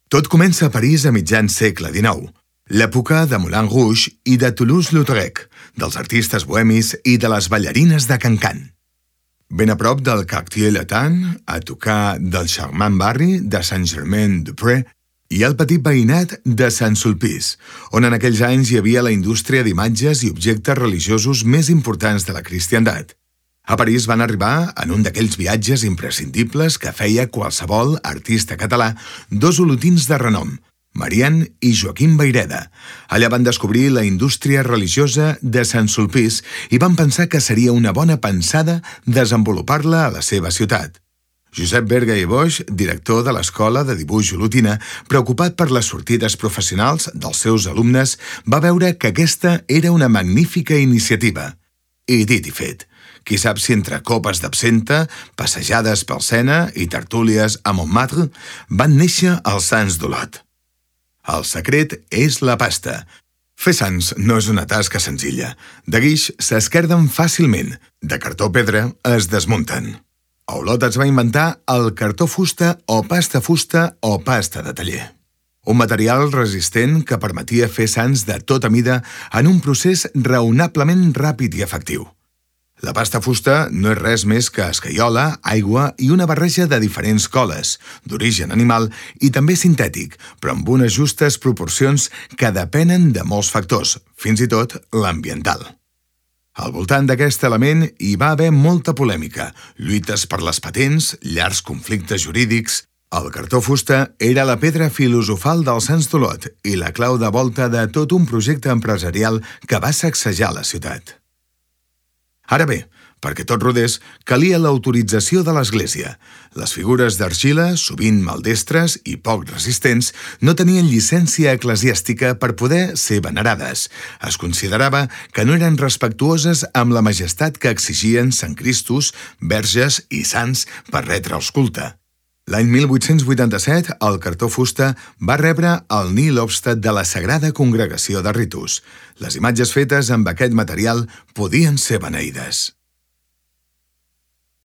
Tot comença a París a mitjan segle XIX, l'època de Moulin Rouge i de Toulouse-Lautrec, dels artistes bohemis i de les ballarines de Cancan. Ben a prop del Quartier-Latin, a tocar del charmant barri de Saint-Germain-des-Prés, hi ha el petit veïnat de Saint-Sulpice, on en aquells anys hi havia la indústria d'imatges i objectes religiosos més importants de la cristiandat. A París van arribar, en un d'aquells viatges imprescindibles que feia qualsevol artista català, dos olotins de renom, Marian i Joaquim Vayreda. Allà van descobrir la indústria religiosa de Saint-Sulpice i van pensar que seria una bona pensada desenvolupar-la a la seva ciutat. Josep Berga i Boix, director de l'Escola de Dibuix Olotina, preocupat per les sortides professionals dels seus alumnes, va veure que aquesta era una magnífica iniciativa. I dit i fet. Qui sap si entre copes d'absenta, passejades pel Sena i tertúlies a Montmartre van néixer els Sants d'Olot. El secret és la pasta. Fer sants no és una tasca senzilla. De guix s'esquerden fàcilment, de cartó pedra es desmunten. A Olot es va inventar el cartó fusta o pasta de taller. Un material resistent que permetia fer sants de tota mida en un procés raonablement ràpid i efectiu. La pasta fusta no és res més que escaiola, aigua i una barreja de diferents coles, d'origen animal i també sintètic, però amb unes justes proporcions que depenen de molts factors, fins i tot l'ambiental. Al voltant d'aquest element hi va haver molta polèmica, lluites per les patents, llargs conflictes jurídics. El cartó fusta era la pedra filosofal dels Sants d'Olot i la clau de volta de tot un projecte empresarial que va sacsejar la ciutat. Ara bé, perquè tot rodés, calia l'autorització de l'Església. Les figures d'argila, sovint maldestres i poc resistents, no tenien llicència eclesiàstica per poder ser venerades. Es considerava que no eren respectuoses amb la majestat que exigien Sant Cristos, verges i sants per retre'ls culte. L'any 1887, el cartó fusta va rebre el Nil Obstat de la Sagrada Congregació de Ritus. Les imatges fetes amb aquest material podien ser beneïdes.